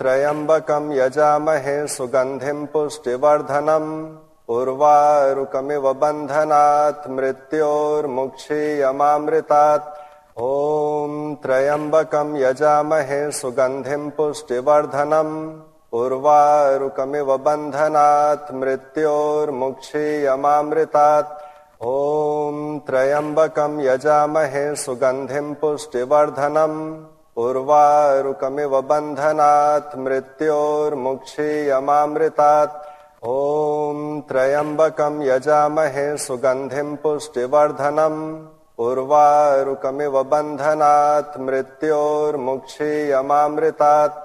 त्र्यम्बकं यजामहे सुगन्धिं पुष्टिवर्धनम् उर्वारुकमिव बन्धनात् मृत्योर्मुक्षीयमामृतात् ॐ त्र्यम्बकं यजामहे सुगन्धिं पुष्टिवर्धनम् उर्वारुकमिव बन्धनात् मृत्योर्मुक्षीयमामृतात् ॐ त्र्यम्बकं यजामहे सुगन्धिं पुष्टिवर्धनम् उर्वारुकमिव बन्धनात् मृत्योर्मुक्षीयमामृतात् ॐ त्र्यम्बकं यजामहे सुगन्धिं पुष्टिवर्धनम् उर्वारुकमिव बन्धनात् मृत्योर्मुक्षीयमामृतात्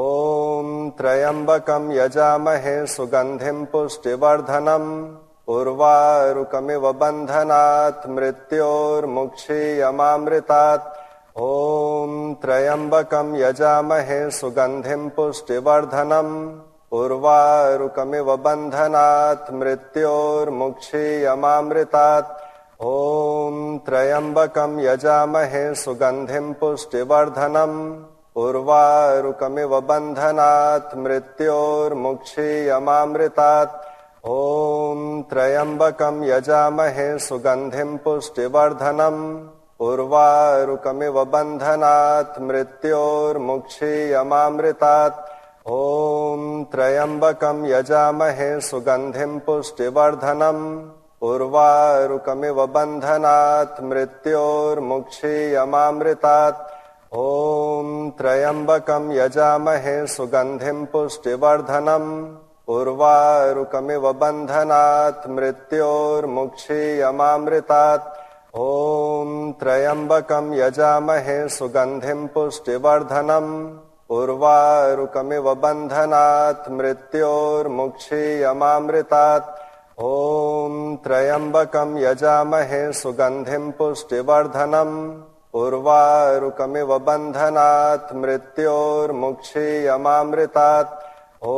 ॐ त्र्यम्बकं यजामहे सुगन्धिं पुष्टिवर्धनम् उर्वारुकमिव बन्धनात् मृत्योर्मुक्षीयमामृतात् ॐ त्र्यम्बकं यजामहे सुगन्धिं पुष्टिवर्धनम् उर्वारुकमिव बन्धनात् मृत्योर्मुक्षीयमामृतात् ॐ त्र्यम्बकं यजामहे सुगन्धिं पुष्टिवर्धनम् उर्वारुकमिव बन्धनात् मृत्योर्मुक्षीयमामृतात् ॐ त्र्यम्बकं यजामहे सुगन्धिं पुष्टिवर्धनम् उर्वारुकमिव बन्धनात् मृत्योर्मुक्षीयमामृतात् ॐ त्र्यम्बकं यजामहे सुगन्धिं पुष्टिवर्धनम् उर्वारुकमिव बन्धनात् मृत्योर्मुक्षीयमामृतात् ॐ त्र्यम्बकं यजामहे सुगन्धिं पुष्टिवर्धनम् उर्वारुकमिव बन्धनात् मृत्योर्मुक्षीयमामृतात् ॐ त्र्यम्बकं यजामहे सुगन्धिं पुष्टिवर्धनम् उर्वारुकमिव बन्धनात् मृत्योर्मुक्षीयमामृतात् ॐ त्र्यम्बकं यजामहे सुगन्धिं पुष्टिवर्धनम् उर्वारुकमिव बन्धनात् मृत्योर्मुक्षीयमामृतात् ॐ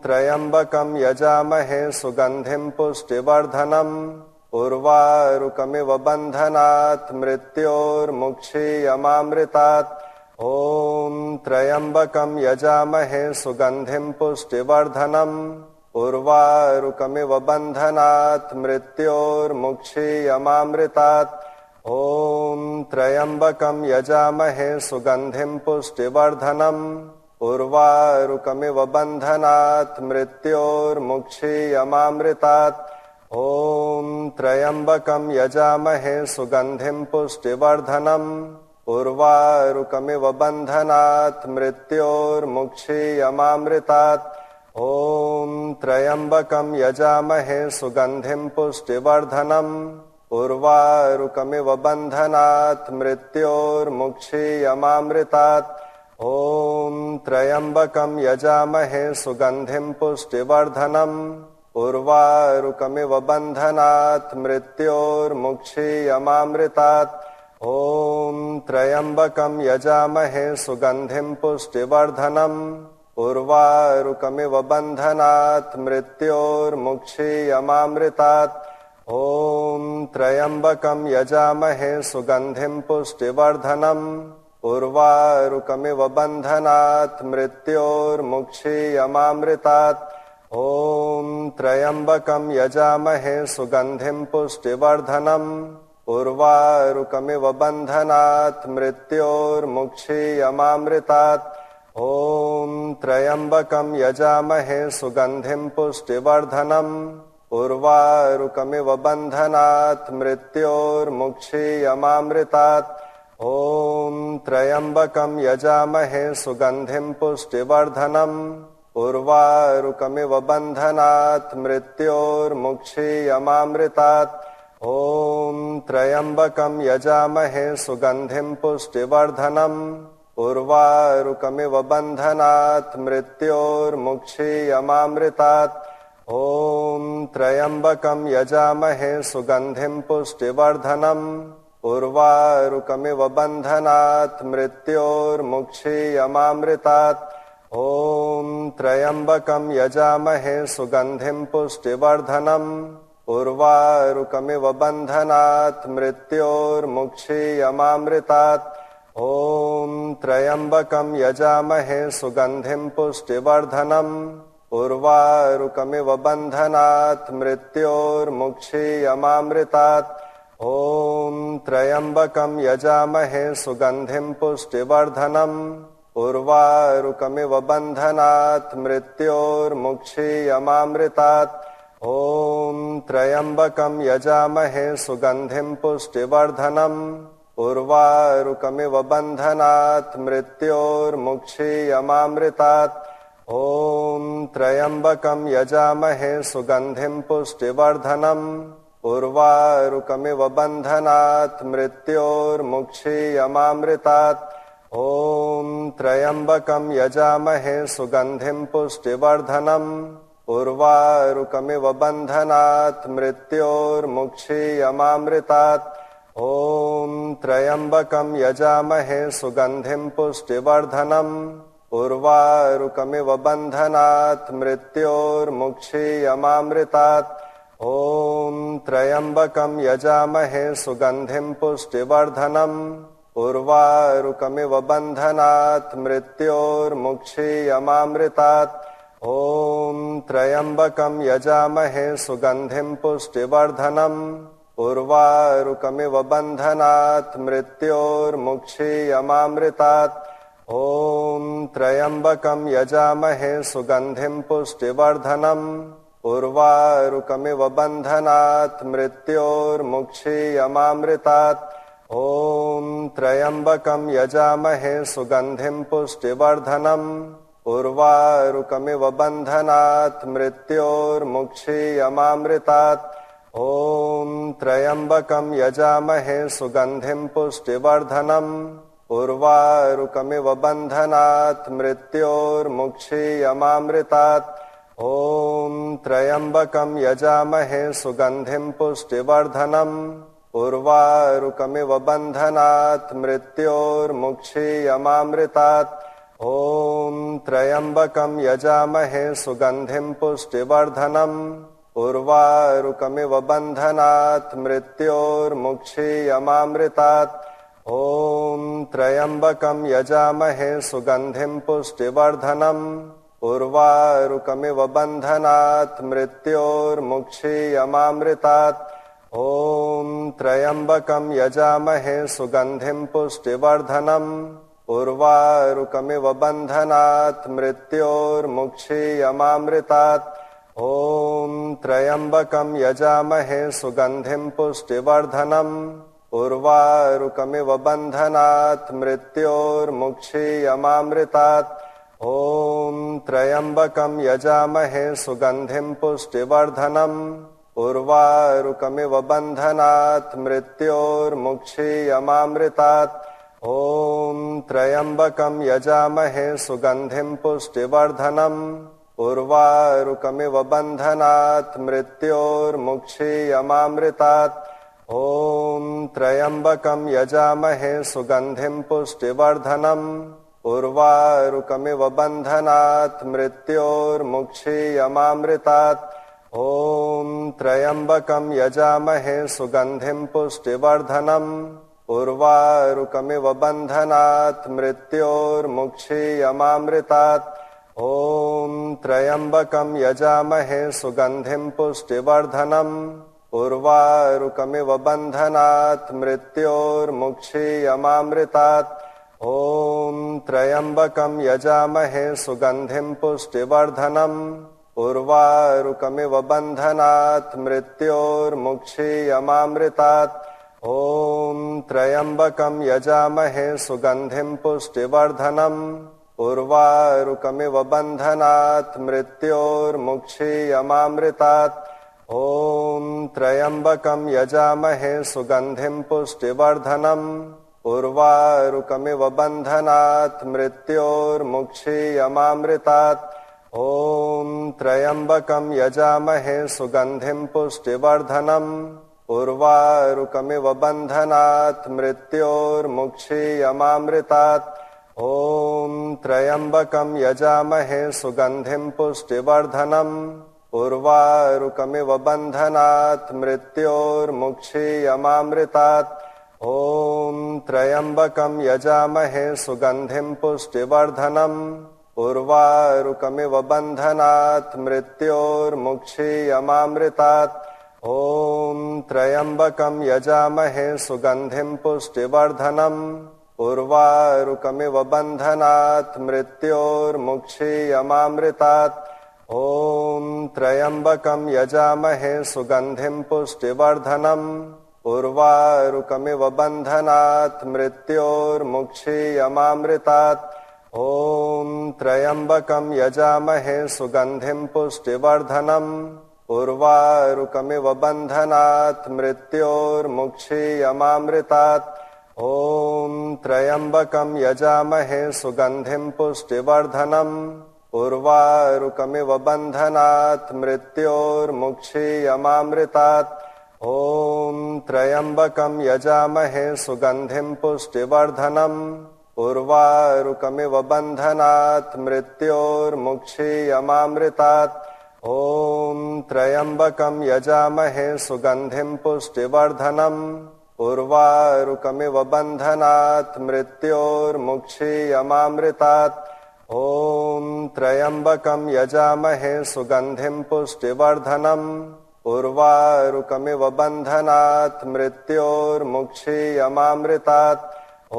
त्र्यम्बकं यजामहे सुगन्धिं पुष्टिवर्धनम् उर्वारुकमिव बन्धनात् मृत्योर्मुक्षीयमामृतात् ॐ त्र्यम्बकं यजामहे सुगन्धिं पुष्टिवर्धनम् उर्वारुकमिव बन्धनात् मृत्योर्मुक्षीयमामृतात् ॐ त्र्यम्बकं यजामहे सुगन्धिं पुष्टिवर्धनम् उर्वारुकमिव बन्धनात् मृत्योर्मुक्षीयमामृतात् ॐ त्र्यम्बकं यजामहे सुगन्धिं पुष्टिवर्धनम् उर्वारुकमिव बन्धनात् मृत्योर्मुक्षीयमामृतात् ॐ त्र्यम्बकं यजामहे सुगन्धिं पुष्टिवर्धनम् उर्वारुकमिव बन्धनात् मृत्योर्मुक्षीयमामृतात् ॐ त्र्यम्बकं यजामहे सुगन्धिं पुष्टिवर्धनम् उर्वारुकमिव बन्धनात् मृत्योर्मुक्षीयमामृतात् ॐ त्र्यम्बकं यजामहे सुगन्धिं पुष्टिवर्धनम् उर्वारुकमिव बन्धनात् मृत्योर्मुक्षीयमामृतात् ॐ त्र्यम्बकं यजामहे सुगन्धिं पुष्टिवर्धनम् उर्वारुकमिव बन्धनात् मृत्योर्मुक्षीयमामृतात् ॐ त्र्यम्बकं यजामहे सुगन्धिं पुष्टिवर्धनम् उर्वारुकमिव बन्धनात् मृत्योर्मुक्षीयमामृतात् ॐ त्र्यम्बकं यजामहे सुगन्धिं पुष्टिवर्धनम् उर्वारुकमिव बन्धनात् मृत्योर्मुक्षीयमामृतात् ॐ त्र्यम्बकं यजामहे सुगन्धिं पुष्टिवर्धनम् उर्वारुकमिव बन्धनात् मृत्योर्मुक्षीयमामृतात् ॐ त्र्यम्बकं यजामहे सुगन्धिं पुष्टिवर्धनम् उर्वारुकमिव बन्धनात् मृत्योर्मुक्षीयमामृतात् ॐ त्र्यम्बकं यजामहे सुगन्धिं पुष्टिवर्धनम् उर्वारुकमिव बन्धनात् मृत्योर्मुक्षीयमामृतात् ॐ त्र्यम्बकं यजामहे सुगन्धिं पुष्टिवर्धनम् उर्वारुकमिव बन्धनात् मृत्योर्मुक्षीयमामृतात् ॐ त्र्यम्बकं यजामहे सुगन्धिं पुष्टिवर्धनम् उर्वारुकमिव बन्धनात् मृत्योर्मुक्षीयमामृतात् ॐ त्र्यम्बकं यजामहे सुगन्धिं पुष्टिवर्धनम् उर्वारुकमिव बन्धनात् मृत्योर्मुक्षीयमामृतात् ॐ त्र्यम्बकं यजामहे सुगन्धिं पुष्टिवर्धनम् उर्वारुकमिव बन्धनात् मृत्योर्मुक्षीयमामृतात् ॐ त्र्यम्बकं यजामहे सुगन्धिं पुष्टिवर्धनम् उर्वारुकमिव बन्धनात् मृत्योर्मुक्षीयमामृतात् ॐ त्र्यम्बकं यजामहे सुगन्धिं पुष्टिवर्धनम् उर्वारुकमिव बन्धनात् मृत्योर्मुक्षीयमामृतात् ॐ त्र्यम्बकं यजामहे सुगन्धिं पुष्टिवर्धनम् उर्वारुकमिव बन्धनात् मृत्योर्मुक्षीयमामृतात् ॐ त्र्यम्बकं यजामहे सुगन्धिं पुष्टिवर्धनम् उर्वारुकमिव बन्धनात् मृत्योर्मुक्षीयमामृतात् ॐ त्र्यम्बकं यजामहे सुगन्धिं पुष्टिवर्धनम् उर्वारुकमिव बन्धनात् मृत्योर्मुक्षीयमामृतात् ॐ त्र्यम्बकं यजामहे सुगन्धिं पुष्टिवर्धनम् उर्वारुकमिव बन्धनात् मृत्योर्मुक्षीयमामृतात् ॐ त्र्यम्बकं यजामहे सुगन्धिं पुष्टिवर्धनम् उर्वारुकमिव बन्धनात् मृत्योर्मुक्षीयमामृतात् ॐ त्र्यम्बकं यजामहे सुगन्धिं पुष्टिवर्धनम् उर्वारुकमिव बन्धनात् मृत्योर्मुक्षीयमामृतात् ॐ त्र्यम्बकं यजामहे सुगन्धिं पुष्टिवर्धनम् उर्वारुकमिव बन्धनात् मृत्योर्मुक्षीयमामृतात् ॐ त्र्यम्बकं यजामहे सुगन्धिं पुष्टिवर्धनम् उर्वारुकमिव बन्धनात् मृत्योर्मुक्षीयमामृतात् ॐ त्र्यम्बकं यजामहे सुगन्धिं पुष्टिवर्धनम् उर्वारुकमिव बन्धनात् मृत्योर्मुक्षीयमामृतात् ॐ त्र्यम्बकं यजामहे सुगन्धिं पुष्टिवर्धनम् उर्वारुकमिव बन्धनात् मृत्योर्मुक्षीयमामृतात् ॐ त्र्यम्बकं यजामहे सुगन्धिं पुष्टिवर्धनम् उर्वारुकमिव बन्धनात् मृत्योर्मुक्षीयमामृतात् ॐ त्र्यम्बकं यजामहे सुगन्धिं पुष्टिवर्धनम् उर्वारुकमिव बन्धनात् मृत्योर्मुक्षीयमामृतात् ॐ त्र्यम्बकं यजामहे सुगन्धिं पुष्टिवर्धनम् उर्वारुकमिव बन्धनात् मृत्योर्मुक्षीयमामृतात् ॐ त्र्यम्बकं यजामहे सुगन्धिं पुष्टिवर्धनम् उर्वारुकमिव बन्धनात् मृत्योर्मुक्षीयमामृतात् ॐ त्र्यम्बकं यजामहे सुगन्धिं पुष्टिवर्धनम् उर्वारुकमिव बन्धनात् मृत्योर्मुक्षीयमामृतात् ॐ त्र्यम्बकं यजामहे सुगन्धिं पुष्टिवर्धनम् उर्वारुकमिव बन्धनात् मृत्योर्मुक्षीयमामृतात् ॐ त्र्यम्बकं यजामहे सुगन्धिं पुष्टिवर्धनम् उर्वारुकमिव बन्धनात् मृत्योर्मुक्षीयमामृतात् ॐ त्र्यम्बकं यजामहे सुगन्धिं पुष्टिवर्धनम् उर्वारुकमिव बन्धनात् मृत्योर्मुक्षीयमामृतात् ॐ त्र्यम्बकं यजामहे सुगन्धिं पुष्टिवर्धनम् उर्वारुकमिव बन्धनात् मृत्योर्मुक्षीयमामृतात् ॐ त्र्यम्बकं यजामहे सुगन्धिं पुष्टिवर्धनम् उर्वारुकमिव बन्धनात् मृत्योर्मुक्षीयमामृतात् ॐ त्र्यम्बकं यजामहे सुगन्धिं पुष्टिवर्धनम् उर्वारुकमिव बन्धनात् मृत्योर्मुक्षीयमामृतात् ॐ त्र्यम्बकं यजामहे सुगन्धिं पुष्टिवर्धनम् उर्वारुकमिव बन्धनात् मृत्योर्मुक्षीयमामृतात् ॐ त्र्यम्बकं यजामहे सुगन्धिं पुष्टिवर्धनम् उर्वारुकमिव बन्धनात् मृत्योर्मुक्षीयमामृतात् ॐ त्र्यम्बकं यजामहे सुगन्धिं पुष्टिवर्धनम् उर्वारुकमिव बन्धनात् मृत्योर्मुक्षीयमामृतात् ॐ त्र्यम्बकं यजामहे सुगन्धिं पुष्टिवर्धनम् उर्वारुकमिव बन्धनात् मृत्योर्मुक्षीयमामृतात् ॐ त्र्यम्बकं यजामहे सुगन्धिं पुष्टिवर्धनम् उर्वारुकमिव बन्धनात् मृत्योर्मुक्षीयमामृतात् ॐ त्र्यम्बकं यजामहे सुगन्धिं पुष्टिवर्धनम् उर्वारुकमिव बन्धनात् मृत्योर्मुक्षीयमामृतात् ॐ त्र्यम्बकं यजामहे सुगन्धिं पुष्टिवर्धनम् उर्वारुकमिव बन्धनात् मृत्योर्मुक्षीयमामृतात् ॐ त्र्यम्बकं यजामहे सुगन्धिं पुष्टिवर्धनम् उर्वारुकमिव बन्धनात् मृत्योर्मुक्षीयमामृतात् ॐ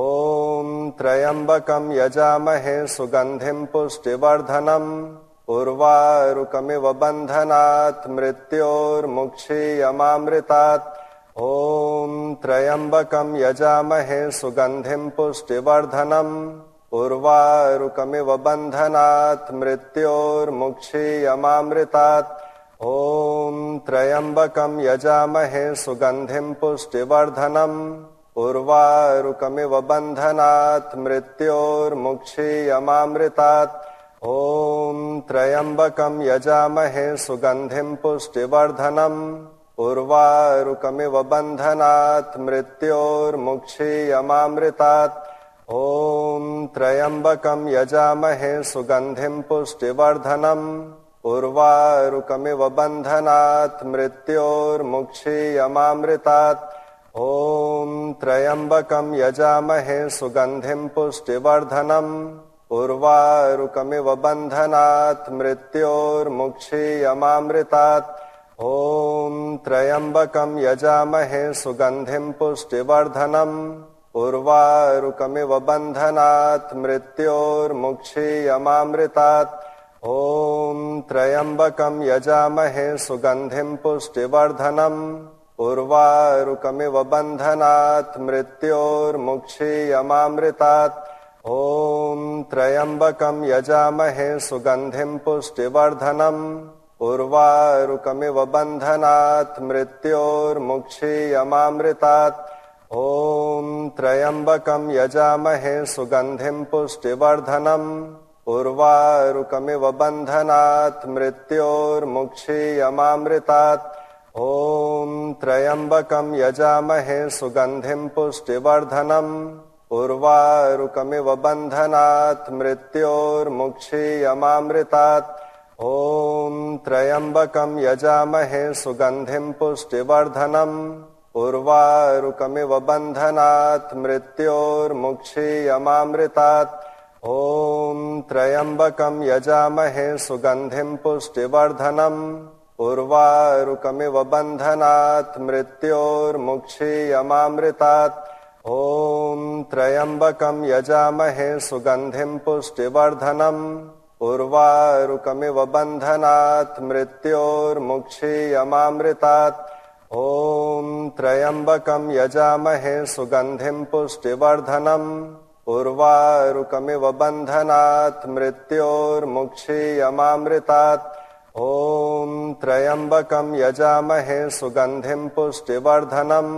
त्र्यम्बकं यजामहे सुगन्धिं पुष्टिवर्धनम् उर्वारुकमिव बन्धनात् मृत्योर्मुक्षीयमामृतात् ॐ त्र्यम्बकं यजामहे सुगन्धिं पुष्टिवर्धनम् उर्वारुकमिव बन्धनात् मृत्योर्मुक्षीयमामृतात् ॐ त्र्यम्बकं यजामहे सुगन्धिं पुष्टिवर्धनम् उर्वारुकमिव बन्धनात् मृत्योर्मुक्षीयमामृतात् ॐ त्र्यम्बकं यजामहे सुगन्धिं पुष्टिवर्धनम् उर्वारुकमिव बन्धनात् मृत्योर्मुक्षीयमामृतात् ॐ त्र्यम्बकं यजामहे सुगन्धिं पुष्टिवर्धनम् उर्वारुकमिव बन्धनात् मृत्योर्मुक्षीयमामृतात् ॐ त्र्यम्बकं यजामहे सुगन्धिं पुष्टिवर्धनम् उर्वारुकमिव बन्धनात् मृत्योर्मुक्षीयमामृतात् ॐ त्र्यम्बकं यजामहे सुगन्धिं पुष्टिवर्धनम् उर्वारुकमिव बन्धनात् मृत्योर्मुक्षीयमामृतात् ॐ त्र्यम्बकं यजामहे सुगन्धिं पुष्टिवर्धनम् उर्वारुकमिव बन्धनात् मृत्योर्मुक्षीयमामृतात् ॐ त्र्यम्बकं यजामहे सुगन्धिं पुष्टिवर्धनम् उर्वारुकमिव बन्धनात् मृत्योर्मुक्षीयमामृतात् ॐ त्र्यम्बकं यजामहे सुगन्धिं पुष्टिवर्धनम् उर्वारुकमिव बन्धनात् मृत्योर्मुक्षीयमामृतात् ॐ त्र्यम्बकं यजामहे सुगन्धिं पुष्टिवर्धनम् उर्वारुकमिव बन्धनात् मृत्योर्मुक्षीयमामृतात् ॐ त्र्यम्बकं यजामहे सुगन्धिं पुष्टिवर्धनम् उर्वारुकमिव बन्धनात् मृत्योर्मुक्षीयमामृतात् ॐ त्र्यम्बकं यजामहे सुगन्धिं पुष्टिवर्धनम् उर्वारुकमिव बन्धनात् मृत्योर्मुक्षीयमामृतात् ॐ त्र्यम्बकं यजामहे सुगन्धिं पुष्टिवर्धनम् उर्वारुकमिव बन्धनात् मृत्योर्मुक्षीयमामृतात् ॐ त्र्यम्बकं यजामहे सुगन्धिं पुष्टिवर्धनम् उर्वारुकमिव बन्धनात् मृत्योर्मुक्षीयमामृतात् ॐ त्र्यम्बकं यजामहे सुगन्धिं पुष्टिवर्धनम्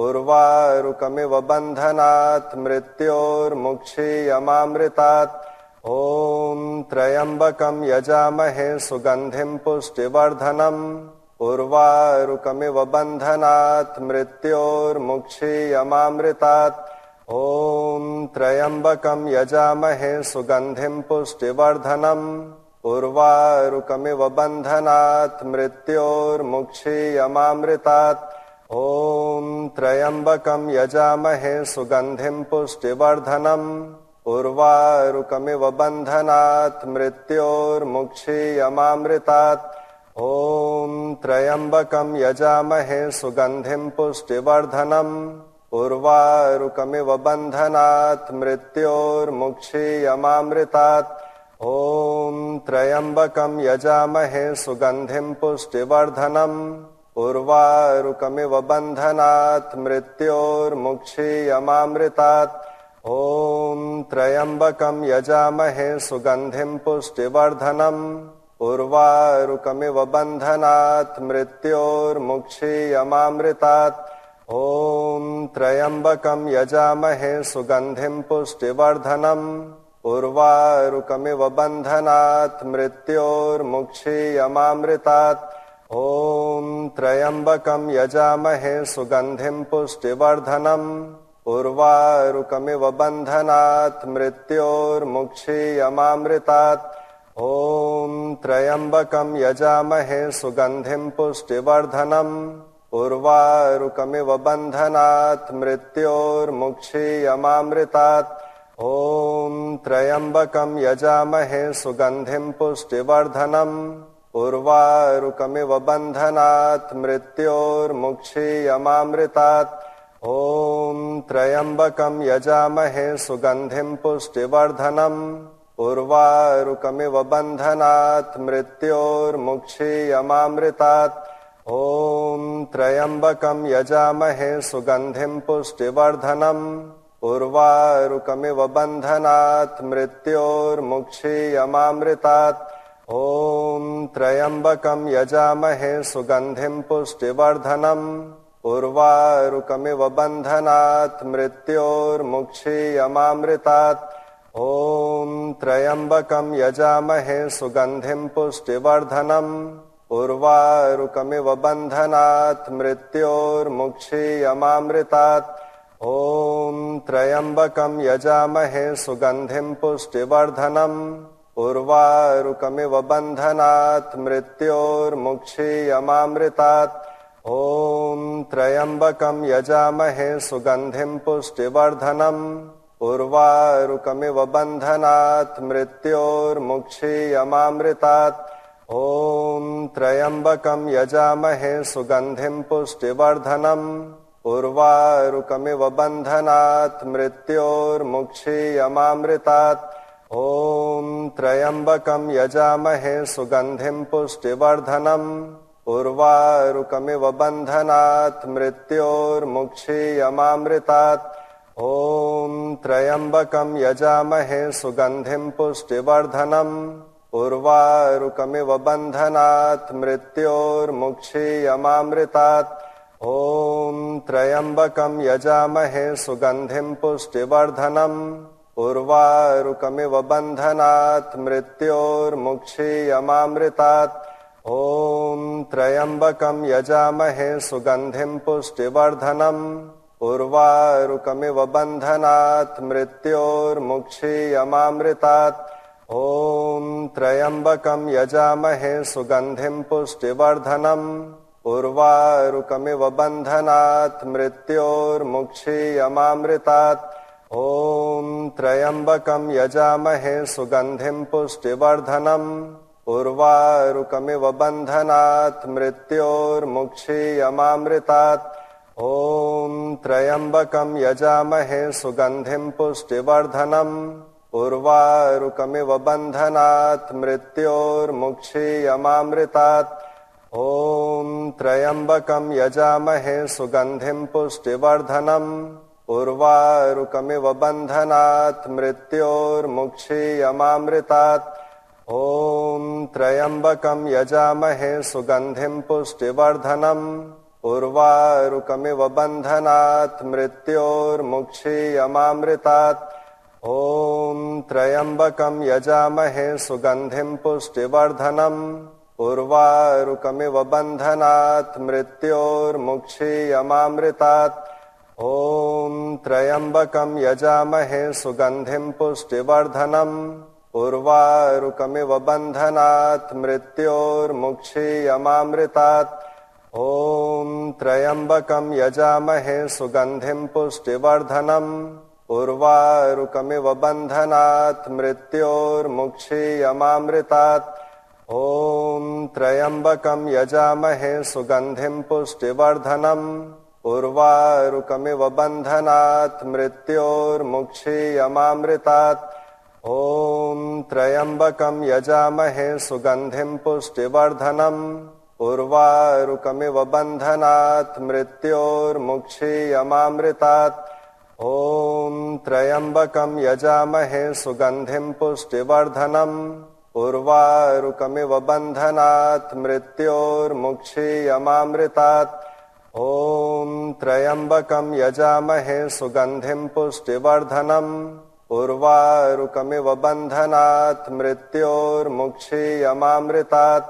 उर्वारुकमिव बन्धनात् मृत्योर्मुक्षीयमामृतात् ॐ त्र्यम्बकं यजामहे सुगन्धिं पुष्टिवर्धनम् उर्वारुकमिव बन्धनात् मृत्योर्मुक्षीयमामृतात् ॐ त्र्यम्बकं यजामहे सुगन्धिं पुष्टिवर्धनम् उर्वारुकमिव बन्धनात् मृत्योर्मुक्षीयमामृतात् ॐ त्र्यम्बकं यजामहे सुगन्धिं पुष्टिवर्धनम् उर्वारुकमिव बन्धनात् मृत्योर्मुक्षीयमामृतात् ॐ त्र्यम्बकं यजामहे सुगन्धिं पुष्टिवर्धनम् उर्वारुकमिव बन्धनात् मृत्योर्मुक्षीयमामृतात् ॐ त्र्यम्बकं यजामहे सुगन्धिं पुष्टिवर्धनम् उर्वारुकमिव बन्धनात् मृत्योर्मुक्षीयमामृतात् ॐ त्र्यम्बकं यजामहे सुगन्धिं पुष्टिवर्धनम् उर्वारुकमिव बन्धनात् मृत्योर्मुक्षीयमामृतात् ॐ त्र्यम्बकं यजामहे सुगन्धिं पुष्टिवर्धनम् उर्वारुकमिव बन्धनात् मृत्योर्मुक्षीयमामृतात् ॐ त्र्यम्बकं यजामहे सुगन्धिं पुष्टिवर्धनम् उर्वारुकमिव बन्धनात् मृत्योर्मुक्षीयमामृतात् ॐ त्र्यम्बकं यजामहे सुगन्धिं पुष्टिवर्धनम् उर्वारुकमिव बन्धनात् मृत्योर्मुक्षीयमामृतात् ॐ त्र्यम्बकं यजामहे सुगन्धिं पुष्टिवर्धनम् उर्वारुकमिव बन्धनात् मृत्योर्मुक्षीयमामृतात् ॐ त्र्यम्बकं यजामहे सुगन्धिं पुष्टिवर्धनम् उर्वारुकमिव बन्धनात् मृत्योर्मुक्षीयमामृतात् ॐ त्र्यम्बकं यजामहे सुगन्धिं पुष्टिवर्धनम् उर्वारुकमिव बन्धनात् मृत्योर्मुक्षीयमामृतात् ॐ त्र्यम्बकं यजामहे सुगन्धिं पुष्टिवर्धनम् उर्वारुकमिव बन्धनात् मृत्योर्मुक्षीयमामृतात् ॐ त्र्यम्बकं यजामहे सुगन्धिं पुष्टिवर्धनम् उर्वारुकमिव बन्धनात् मृत्योर्मुक्षीयमामृतात् ॐ त्र्यम्बकं यजामहे सुगन्धिं पुष्टिवर्धनम् उर्वारुकमिव बन्धनात् मृत्योर्मुक्षीयमामृतात् ॐ त्र्यम्बकं यजामहे सुगन्धिं पुष्टिवर्धनम् उर्वारुकमिव बन्धनात् मृत्योर्मुक्षीयमामृतात् ॐ त्र्यम्बकं यजामहे सुगन्धिं पुष्टिवर्धनम् उर्वारुकमिव बन्धनात् मृत्योर्मुक्षीयमामृतात् ॐ त्र्यम्बकं यजामहे सुगन्धिं पुष्टिवर्धनम् उर्वारुकमिव बन्धनात् मृत्योर्मुक्षीयमामृतात् ॐ त्र्यम्बकं यजामहे सुगन्धिं पुष्टिवर्धनम् उर्वारुकमिव बन्धनात् मृत्योर्मुक्षीयमामृतात् ॐ त्र्यम्बकं यजामहे सुगन्धिं पुष्टिवर्धनम् उर्वारुकमिव बन्धनात् मृत्योर्मुक्षीयमामृतात् ॐ त्र्यम्बकं यजामहे सुगन्धिं पुष्टिवर्धनम् उर्वारुकमिव बन्धनात् मृत्योर्मुक्षीयमामृतात् ॐ त्र्यम्बकं यजामहे सुगन्धिं पुष्टिवर्धनम् उर्वारुकमिव बन्धनात् मृत्योर्मुक्षीयमामृतात् ॐ त्र्यम्बकं यजामहे सुगन्धिं पुष्टिवर्धनम् उर्वारुकमिव बन्धनात् मृत्योर्मुक्षीयमामृतात् ॐ त्र्यम्बकं यजामहे सुगन्धिं पुष्टिवर्धनम् उर्वारुकमिव बन्धनात् मृत्योर्मुक्षीयमामृतात् ॐ त्र्यम्बकं यजामहे सुगन्धिं पुष्टिवर्धनम् उर्वारुकमिव बन्धनात् मृत्योर्मुक्षीयमामृतात् ॐ त्र्यम्बकं यजामहे सुगन्धिं पुष्टिवर्धनम् उर्वारुकमिव बन्धनात् मृत्योर्मुक्षीयमामृतात् ॐ त्र्यम्बकं यजामहे सुगन्धिं पुष्टिवर्धनम् उर्वारुकमिव बन्धनात् मृत्योर्मुक्षीयमामृतात् ॐ त्र्यम्बकं यजामहे सुगन्धिं पुष्टिवर्धनम् उर्वारुकमिव बन्धनात् मृत्योर्मुक्षीयमामृतात् ॐ त्र्यम्बकं यजामहे सुगन्धिं पुष्टिवर्धनम् उर्वारुकमिव बन्धनात् मृत्योर्मुक्षीयमामृतात् ॐ त्र्यम्बकं यजामहे सुगन्धिं पुष्टिवर्धनम् उर्वारुकमिव बन्धनात् मृत्योर्मुक्षीयमामृतात् ॐ त्र्यम्बकं यजामहे सुगन्धिं पुष्टिवर्धनम् उर्वारुकमिव बन्धनात् मृत्योर्मुक्षीयमामृतात् ॐ त्र्यम्बकं यजामहे सुगन्धिं पुष्टिवर्धनम् उर्वारुकमिव बन्धनात् मृत्योर्मुक्षीयमामृतात् ॐ त्र्यम्बकं यजामहे सुगन्धिं पुष्टिवर्धनम् उर्वारुकमिव बन्धनात् मृत्योर्मुक्षीयमामृतात्